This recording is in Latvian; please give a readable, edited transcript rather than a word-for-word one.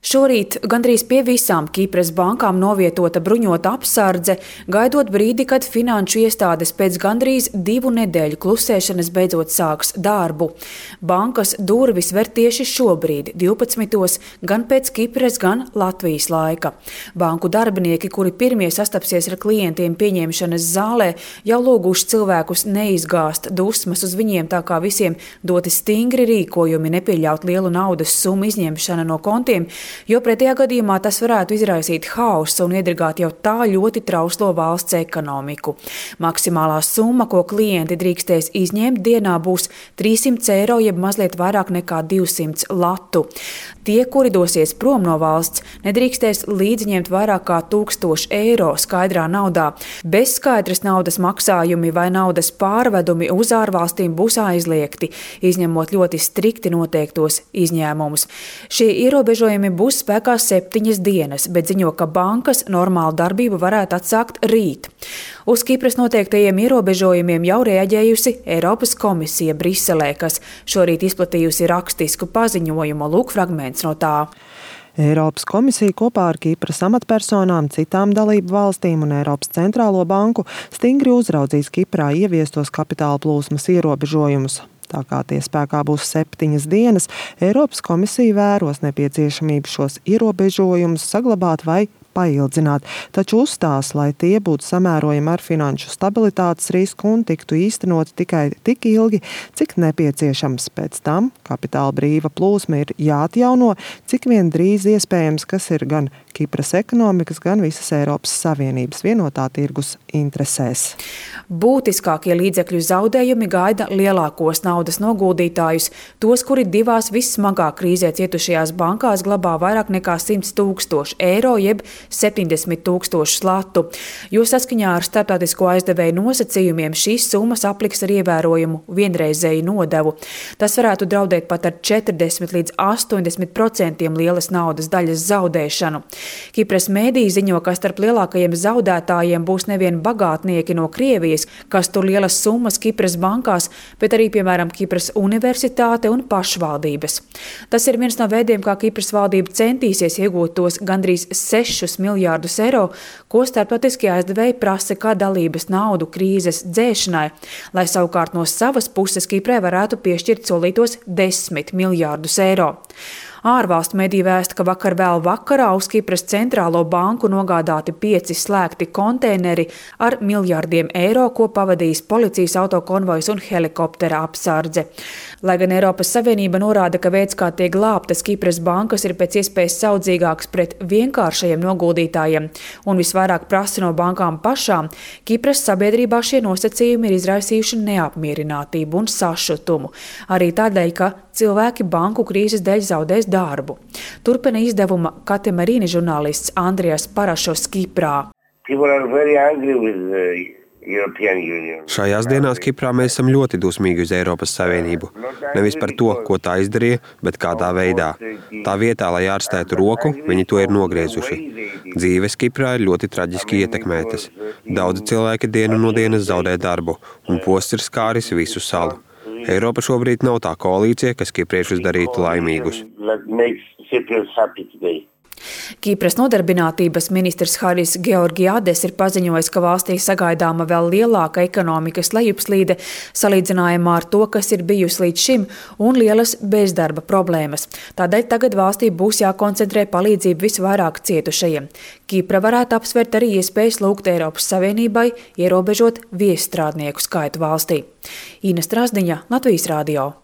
Šorīt gandrīz pie visām Kipras bankām novietota bruņota apsardze, gaidot brīdi, kad finanšu iestādes pēc gandrīz 2 nedēļu klusēšanas beidzot sāks darbu. Bankas durvis ver tieši šobrīd, 12. gan pēc Kipras, gan Latvijas laika. Banku darbinieki, kuri pirmie sastapsies ar klientiem pieņemšanas zālē, jau lūguši cilvēkus neizgāst dusmas uz viņiem, tā kā visiem doti stingri rīkojumi, nepieļaut lielu naudas summu izņemšana no kontiem, jo pretējā gadījumā tas varētu izraisīt haosu un iedragāt jau tā ļoti trauslo valsts ekonomiku. Maksimālā summa, ko klienti drīkstēs izņemt dienā, būs 300 eiro, jeb mazliet vairāk nekā 200 latu. Tie, kuri dosies prom no valsts, nedrīkstēs līdzņemt vairāk kā 1000 eiro skaidrā naudā. Bez skaidras naudas maksājumi vai naudas pārvedumi uz ārvalstīm būs aizliegti, izņemot ļoti strikti noteiktos izņēmumus. Šie ierobežojumi būs spēkā 7 dienas, bet ziņo, ka bankas normālu darbību varētu atsākt rīt. Uz Kipras noteiktajiem ierobežojumiem jau reaģējusi Eiropas komisija Briselē, kas šorīt izplatījusi rakstisku paziņojumu. Lūk fragments no tā. Eiropas komisija kopā ar Kipras amatpersonām, citām dalību valstīm un Eiropas centrālo banku stingri uzraudzīs Kiprā ieviestos kapitāla plūsmas ierobežojumus. Tā kā tie spēkā būs 7 dienas, Eiropas komisija vēros nepieciešamību šos ierobežojumus saglabāt vai paildzināt, taču uzstās, lai tie būtu samērojami ar finanšu stabilitātes risku un tiktu īstenot tikai tik ilgi, cik nepieciešams. Pēc tam kapitāla brīva plūsma ir jāatjauno, cik vien drīz iespējams, kas ir gan Kipras ekonomikas, gan visas Eiropas Savienības vienotā tirgus interesēs. Būtiskākie līdzekļu zaudējumi gaida lielākos naudas noguldītājus, tos, kuri 2 vissmagāk krīzē cietušajās bankās glabā vairāk nekā 100 000 eiro, jeb 70 000 latu, jo saskaņā ar starptautisko aizdevēju nosacījumiem šīs summas apliks ar ievērojumu vienreizēju nodevu. Tas varētu draudēt pat ar 40 līdz 80% lielas naudas daļas zaudēšanu. Kipras mēdīji ziņo, ka starp lielākajiem zaudētājiem būs nevien bagātnieki no Krievijas, kas tur lielas summas Kipras bankās, bet arī, piemēram, Kipras universitāte un pašvaldības. Tas ir viens no veidiem, kā Kipras valdība centīsies iegūt tos gandrīz 6 miljārdus eiro, ko starptautiskie aizdevēji prasa kā dalības naudu krīzes dzēšanai, lai savukārt no savas puses Kiprai varētu piešķirt solītos 10 miljārdus eiro. Ārvalstu mediji vēsta, ka vakar vēl vakarā uz Kipras centrālo banku nogādāti 5 slēgti konteineri ar miljārdiem eiro, ko pavadījis policijas autokonvojs un helikoptera apsardze. Lai gan Eiropas Savienība norāda, ka veids, kā tiek glābtas Kipras bankas, ir pēc iespējas saudzīgāks pret vienkāršajiem noguldītājiem un visvairāk prasa no bankām pašām, Kipras sabiedrībā šie nosacījumi ir izraisījuši neapmierinātību un sašutumu. Arī tādēļ, ka cilvēki banku krīzes dēļ zaudēs darbu. Turpina izdevuma Katemarīni žurnālists Andrijas Parašos Kiprā. Šajās dienās Kiprā mēs esam ļoti dusmīgi uz Eiropas Savienību. Nevis par to, ko tā izdarīja, bet kādā veidā. Tā vietā, lai ārstētu roku, viņi to ir nogriezuši. Dzīves Kiprā ir ļoti traģiski ietekmētas. Daudzi cilvēki dienu no dienas zaudē darbu, un posts ir skāris visu salu. Eiropa šobrīd nav tā koalīcija, kas kipriešus darītu laimīgus. Kipras nodarbinātības ministrs Haris Georgiades ir paziņojis, ka valstī sagaidāma vēl lielāka ekonomikas lejupslīde salīdzinājumā ar to, kas ir bijusi līdz šim, un lielas bezdarba problēmas. Tādēļ tagad valstī būs jākoncentrē palīdzību visvairāk cietušajiem. Kipra varētu apsvērt arī iespējas lūgt Eiropas Savienībai ierobežot viesstrādnieku skaitu valstī. Ina Strasdiņa, Latvijas radio.